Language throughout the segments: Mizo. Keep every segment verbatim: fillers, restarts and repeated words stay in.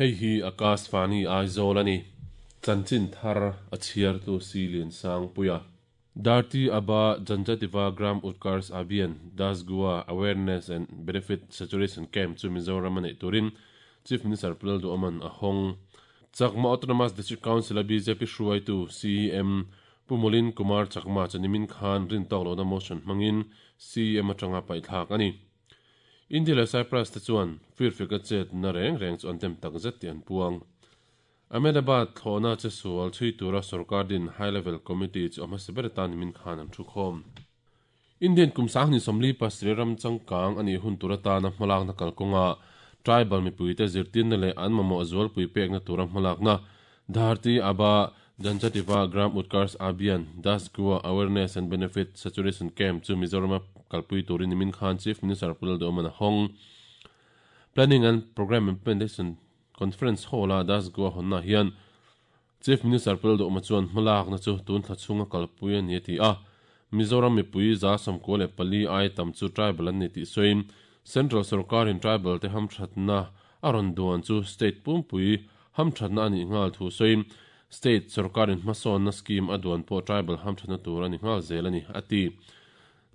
Hei hi Akashvani Aizawl a ni. Chanchin thar a chhiartu Silian Sangpuia. Dharti Aba Janjativa Gram Utkarsh Abhiyan Das Goa Awareness and Benefit Saturation Camp chu Mizoram a neih turin Chief Minister Pu Lalduhoma'n a hawng. Chakma Autonomous District Council a B J P hruaitu C M Pu Mulin Kumar Chakma chu nimin khan rin tawk lohna motion hmangin C M atanga paihthlak a ni. India leh Cyprus te chuan firfeka chet na reng reng chu an dem tak zet tih an puang. Ahmedabad thlawhna che sual chhui tura sarkar din High Level Committee chu a hmasa ber atan nimin khan an thu khawm. Indian kum sang ni sawmli pasarih ram changkang a nih hun tur atana hmalakna kalkawnga tribal mipuite zirtirna leh an mamawh zualpui pekna tura hmalakna Dharti Aba Janjativa Gram Utkarsh Abhiyan Das Goa Awareness and Benefit Saturation Camp chu Mizoram kalpui turin nimin khan Chief Minister Pu Lalduhoma'n a hawng. Planning and Programme Implementation Conference Hall a Das Goa hawnna hian Chief Minister Pu Lalduhoma chuan hmalakna chu tun thla chhunga kalpui a ni a ti a. Mizoram mipui za sawmkua leh pali ai tam chu tribal an ni tih sawiin Central sarkarin tribal te hamthatna a rawn duan chu state pumpui hamthatna a nih nghal thu sawiin state sarkarin hmasawnna scheme a duan pawh tribal hamthatna tur a ni nghal zel a ni a ti.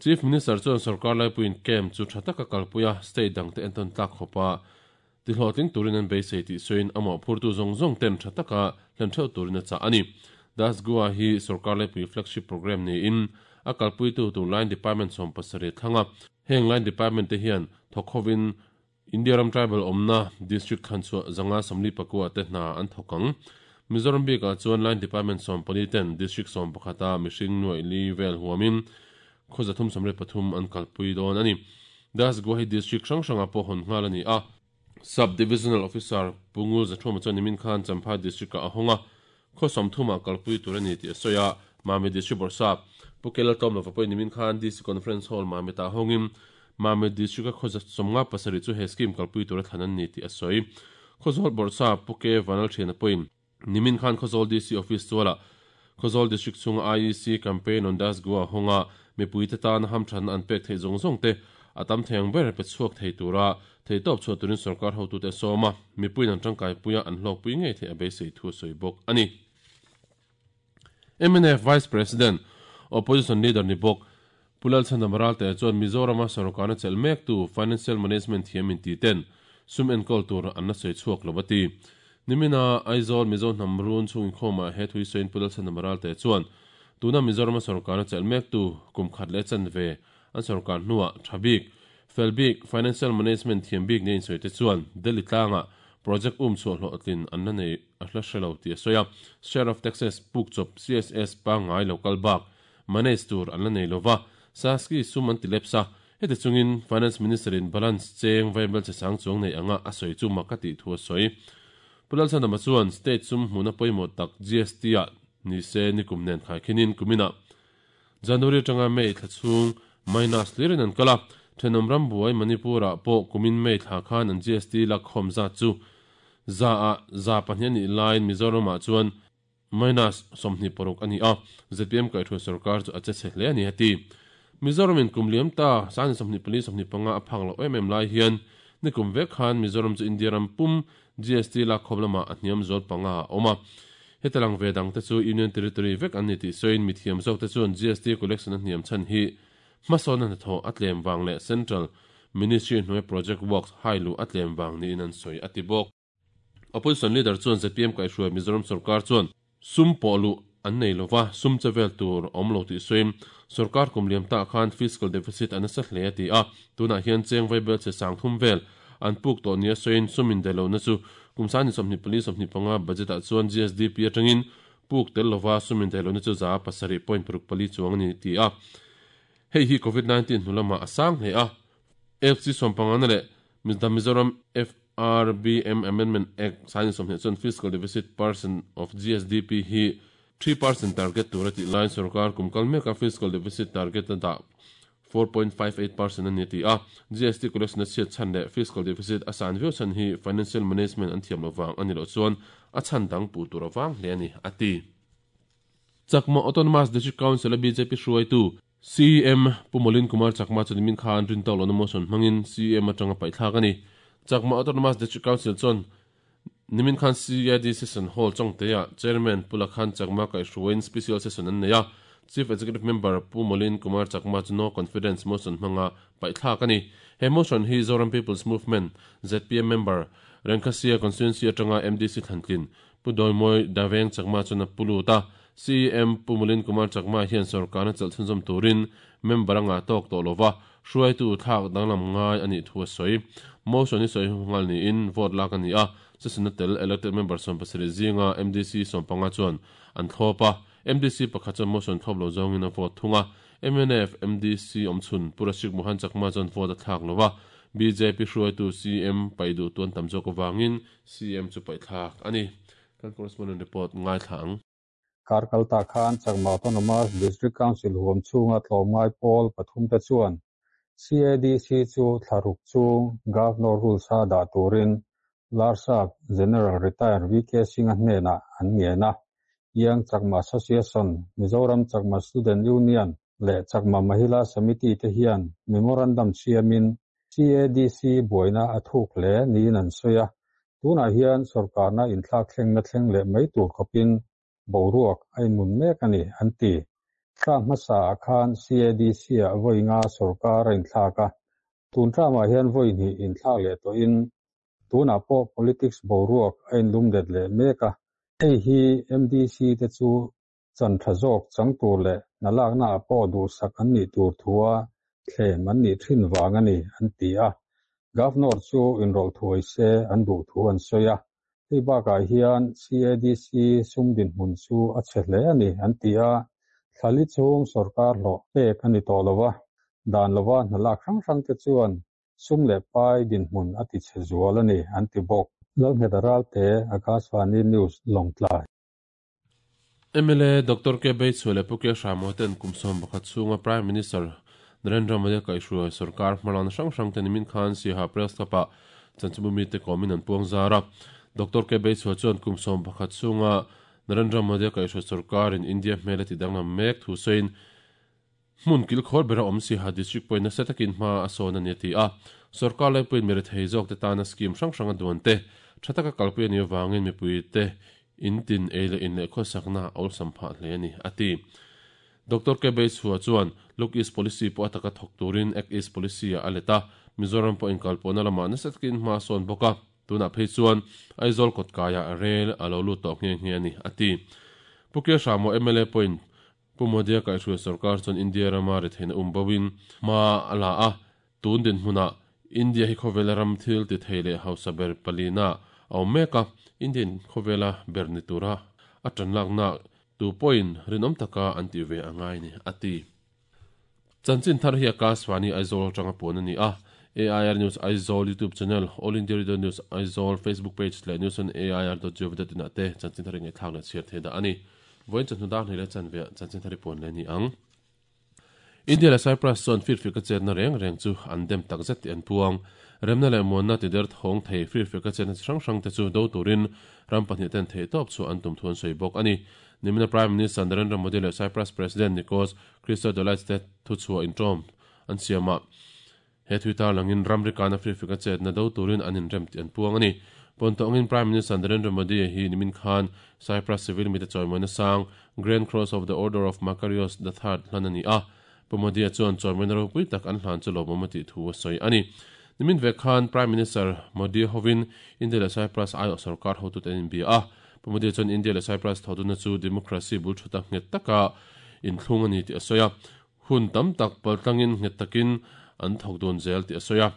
Chief Minister chuan sarkar laipuiin camp chu tha taka kalpuia state dangte entawn tlak khawpa ti hlawhtling turin an beisei tih sawiin amah phurtu zawng zawng ten tha taka hlen theuh turin a chah a ni. Das Goa hi sarkar laipui flagship program niin a kalpuitu tur line department sawm pasarih thlanga heng line department te hian thawkhovin India ram tribal awmna district khan chu zanga sawmli pakua te hna an thawkang. Mizoram bikah chuan line department sawm pali ten district sawm pakhata mihring nuai li vel huamin khaw zathum sawmriat pathum an kalpui dawn a ni. Das Goa hi district hrang hranga pawh hawn nghal a ni a. Sub Divisional Officer Pungul Zathuma chuan nimin khan Champhai district ah a hawnga khaw sawmthuma kalpui tur a ni tih a sawi a. Mami District Bawrhsap Pu Kelal Tlawm lova pawhin nimin khan D C Conference Hall Mamit ah hawngin Mami District a khaw sawmnga pasarih chu he scheme kalpui tur a thlan an ni tih a sawi. Khawzawl Bawrhsap Pu K Vanal Thiana pawhin nimin khan Khawzawl D C Office chuala Khawzawl District chhunga I E C campaign on Das Goa hawnga mipui te tan hamthan an pek thei zawng zawng te a tam theiang ber pe chhuak thei tura thei tawp chhuah turin sarkar hotu te sawma mipuiin an tangkai puia an hlawk pui ngei thei a beisei thu a sawi bawk a ni. M N F Vice President, Opposition Leader ni bawk Pu Lalchhandama Ralte chuan Mizorama sarkarna chelh mek tu financial management thiam in ti ten sum enkawl tur an la sawi chhuak lo a ti. Nimina Aizawl Mizo hnam run chungin khawma he thui sawiin Pu Lalchhandama Ralte chuan tuna Mizorama sarkarna chelh mek tu kum khat leh chanve an sarkar hnuah thabik felbik financial management thiam bik ne in sawi te chuan Delhi tlanga project um chu hlawhtlin an la nei a hla hrelo ti a sawi a. Share of taxes puk chawp C S S pangai local bak manage tur an la nei lova saski sum an ti lepsa heti chungin Finance Minister in balance cheng vaibel che sang chuang nei anga a sawi chu makati thu a sawi. Pu Lalchhandama chuan state sum hmuna pawimawh tak G S T a ni se nikum nen khai khinin kumina January tanga May thla chhung minus hlirin an kala thenawm ram buai Manipur-ah pawh kumin May thla khan an G S T lak khawm zat chu za a za pahnih ani laiin Mizoramah chuan minus sawmhnih paruk a ni a. Z P M kaihhruai sarkar chu a che chhe hle a ni a ti. Mizoramin kum liam ta sangni sawmhnih pali sawmhnih panga a phak loh em em lai hian nikum vek khan Mizoram chu India ram pum G S T lak khawm lamah a hniam zawl panga a awm a. Hetalang ve dang te chu Union Territory vek an ni tih sawiin mithiam zawk te chuan G S T collection a hniam chhan hi hmasawn a hnathawh a tlem wang leh Central Ministry hnuai project works hai lu a tlem wang niin an sawi a ti bawk. Opposition leader chuan Z P M kaihhruai Mizoram sarkar chuan sum pawh lu an nei lova sum chevel tur awm lo tih sawiin sarkar kum liam ta khan fiscal deficit an asa hle a ti a. Tunah hian cheng vaibel che sang thum vel an puk tawh nia sawiin sumin delo na chu kum sani sawmhnih pali sawmhnih panga budget ah chuan G S D P atangin puk tel lova sumin delo na chu za pasarih point paruk pali chuang ani ti a. Hei hi COVID nineteen hnulama a sang hle a. F C sawmpanga na leh Mizoram F R B M Amendment Act sani sawmhnih chuan fiscal deficit percent of G S D P hi three percent target tur a tih laiin sarkar kum kal meka fiscal deficit target a dah four point five eight percent ani ti a. G S T collection a chhiat chhan leh fiscal deficit a san viau chhan hi financial management an thiam lovang ani lo chuan a chhan dang pu tur awang hle ani a ti. Chakma Autonomous District Council a B J P hruaitu C M Pu Molin Kumar Chakma chu nimin khan rin tawk lohna motion hmangin C M atanga paithlak ani. Chakma Autonomous District Council chuan Nimin khan C A D Session Hall Chawngtea Chairman Pu Lakhan Chakma kaihhruaiin Special Session an nei a, Chief Executive Member Pu Molin Kumar Chakma chu no confidence motion hmanga paihthlak a ni. He motion hi Zoram People's Movement, Z P M member, Rengkhasia Constituency atanga M D C Thlantlin Pu Doimawi Daveng Chakma chuan a pu lut a, C E M Pu Molin Kumar Chakma hian sorkarna chelh chhunzawm turin member anga tawk tawh lova hruaitu thlak danglam ngai a nih thu a sawi. Motion hi sawi nghal niin vote lak a ni a, session a tel elected member sawm pasarih zinga M D C sawm panga chuan an thlawp a, M D C pakhat chuan motion thlawp lo zawngin a vote thung a, M N F M D C awmchhun Pu Rashik Mohan Chakma chuan vote a thlak lova, B J P hruaitu C M paih duh tuan tam zawk avangin C M chu paihthlak a ni. Kan correspondent report ngai thla ang. Karkalta Khan Chakma Autonomous District Council huam chunga tlawmngai pawl pathum te chuan C A D C chu thlaruk chung Governor rules a dah turin Larsap General Retired V K Singh a hnenah an ngen a, Young Chakma Association, Mizoram Chakma Student Union leh Chakma Mahila Samiti te hian memorandum siamin C A D C buaina a thuk hle niin an sawi a, tunah hian sorkarna inthlak thleng na thleng leh mai tur khawpin boruak a inmun mek a ni an ti. Thla hmasa ah khan C A D C ah vawi nga sorkar a inthlak a, tun tlamah hian vawi hnih inthlak leh tawhin tunah pawh politics boruak a inlum let leh mek a, hei hi M D C te chu chan tha zawk chang tur leh nalakna ah pawh duhsak an nih tur thua thlem an nih thin wang a ni an ti a, Governor chu inrawlh thuai se an duh thu an sawi a, hei bakah hian C A D C sum dinhmun chu a chhe hle a ni an ti a, thlali chung sorkar hlawh pek a ni tawh lova, dan lova hnalak hrang hrang te chuan sum leh pai dinhmun a ti chhe zual a ni an ti bawk. Lalnghet Ralte, Akashvani News, Lawngtlai. M L A Doctor K Beichhua leh Pu K Hramoten kumsawm pakhat chunga Prime Minister Narendra Modi kaihhruai sarkar hmalan hrang hrang te nimin khan Siaha Press Club-ah chanchimumi te kawmin an puang zar a. Doctor K Beichhua chuan kumsawm pakhat chunga Narendra Modi kaihhruai sarkarin India hmel a ti danglam mek thu sawiin hmun kilkhawr bera awm Siaha District pawhin nasa takin hma a sawn a ni a ti a. Sarkar lai pawhin mi rethei zawk te tana scheme hrang hrang a duan te thataka kalpui a ni avangin mipui te intin ei leh in leh khawsakna a awlsam phah hle a ni a ti. Doctor K Beichhua chuan Look East Policy pawh a taka thawk turin Act East Policy a let a, Mizoram pawh inkalpawhna lamah nasa takin hma a sawn bawk a, tunah phei chuan Aizawl kawtkaiah rel a lo lut tawh nghe nghe a ni a ti. Pu K Hramo M L A pawhin Pu Modi a kaihhruai sarkar chuan India rama retheihna um bawin hma a la a, tun dinhmunah India hi khawvela ram thil ti thei leh hausa ber palina a awm mek a, Indian khawvela ber ni tura a tanlakna tu pawhin rinawm taka an ti ve angai ni a ti. Chanchin thar hi Akashvani Aizawl atanga puan a ni a, A I R News Aizawl YouTube channel, All India Radio News Aizawl Facebook page leh news on A I R dot gov dot in ah te chanchin thar nge thlak leh chhiar thei dah a ni. Vawiin chawhnu dar hnih leh chanve chanchin thar hi puan leh ni ang. India leh Cyprus chuan firfir ka chetna reng reng chu an dem tak zet ti an puang. Remna leh muanna ti der thawng thei firfir ka chetna chi hrang hrang te chu do turin ram pahnih ten thei tawp chu an tum thu an sawi bawk a ni. Nimina Prime Minister Narendra Modi leh Cyprus President Nikos Christodoulides te thu chhuah intawm an siamah he thui langin ramri kana firfir ka chetna do turin an inrem ti an puang a ni. Pontongin Prime Minister Narendra Modi hi nimin khan Cyprus civil mi te chawimawina sang Grand Cross of the Order of Makarios the Third hlan a ni a. Pu Modi a chuan chawimawina ropui tak an hlan chu lawmawm a tih thu a sawi a ni. Nimin ve khan Prime Minister Modi hovin India leh Cyprus ai sarkar hotu te in bia a. Pu Modi chuan India leh Cyprus thoduna chu democracy bul thuta nghet taka inthlung a ni ti a sawi a. Hun tam tak paltlangin nghet takin an thawk dun zel ti a sawi a.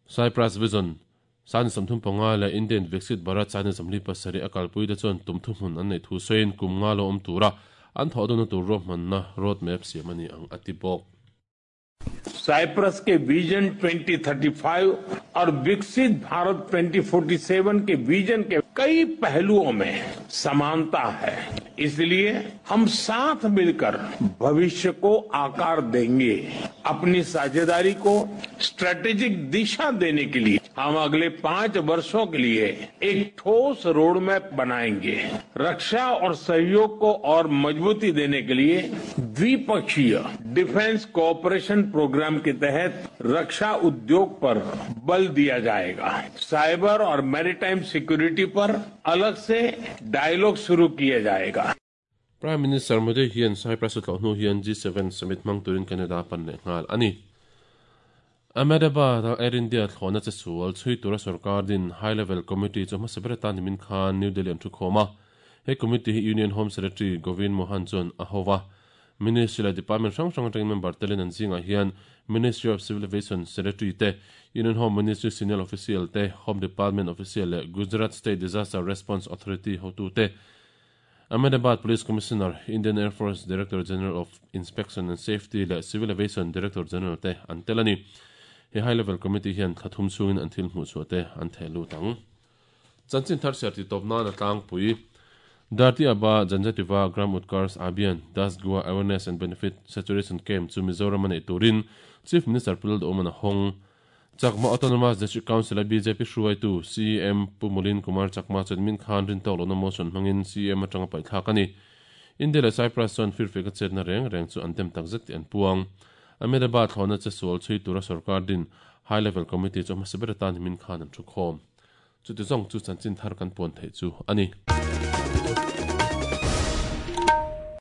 Cyprus Vision San samthum panga leh Indian Viksit Bharat San Assembly pasarih a kalpui te chuan tum thu hmun an nei thu sawiin kum nga lo awm tura an thawh duna tur ruahmanna road map siam a ni ang a ti bawk. Cyprus के vision twenty thirty five और विकसित Bharat twenty forty seven के vision के कई पहलुओं में समानता है, इसलिए हम साथ मिलकर भविष्य को आकार देंगे। अपनी साझेदारी को स्ट्रेटेजिक दिशा देने के लिए हम अगले पांच वर्षों के लिए एक ठोस रोड मैप बनाएंगे। रक्षा और सहयोग को और मजबूती देने के लिए द्विपक्षीय defence cooperation programme के तहत रक्षा उद्योग पर बल दिया जाएगा। साइबर और मैरीटाइम सिक्योरिटी पर अलग से डायलॉग शुरू किया जाएगा। Prime Minister Modi hian Cyprus a tlawh hnu hian G seven summit hmang turin Canada pan leh nghal a ni. Ahmedabad a Air India thlawhna che sual chhui tura sorkar din High Level Committee chu hmasa ber atan nimin khan New Delhi an thu khawm a. He committee hi Union Home Secretary Govind Mohan chuan a ho va. Ministry leh department hrang hrang atangin member telin an zingah hian Ministry of Civil Aviation Secretary te, Union Home Ministry Senior Official te, Home Department Official leh Gujarat State Disaster Response Authority hotu te, Ahmedabad Police Commissioner, Indian Air Force Director General of Inspection and Safety leh Civil Aviation Director General te an tel a ni. He High Level Committee hian thla thum chungin an thil hmuh chhuah te an theh lut ang. Chanchin thar siar ti tawp nan a tlangpui. Dharti Aba Janjativa Gram Utkarsh Abhiyan Das Goa Awareness and Benefit Saturation Camp chu Mizoram a neih turin Chief Minister Pu Lalduhawm a hawng. Chakma Autonomous District Council a B J P hruaitu C M Pu Mulin Kumar Chakma chuan min khan rin tawk lohna motion hmangin C M atanga paih thlak a ni. India leh Cyprus chuan firfek a chetna reng reng chu an dem tak zet tih an puang. Ahmedabad thlawhna che sual chhui tura sorkar din High Level Committee chu hmasa ber atan min khan an thu khawm. Chuti zawng chu chanchin thar kan puan theih chu a ni.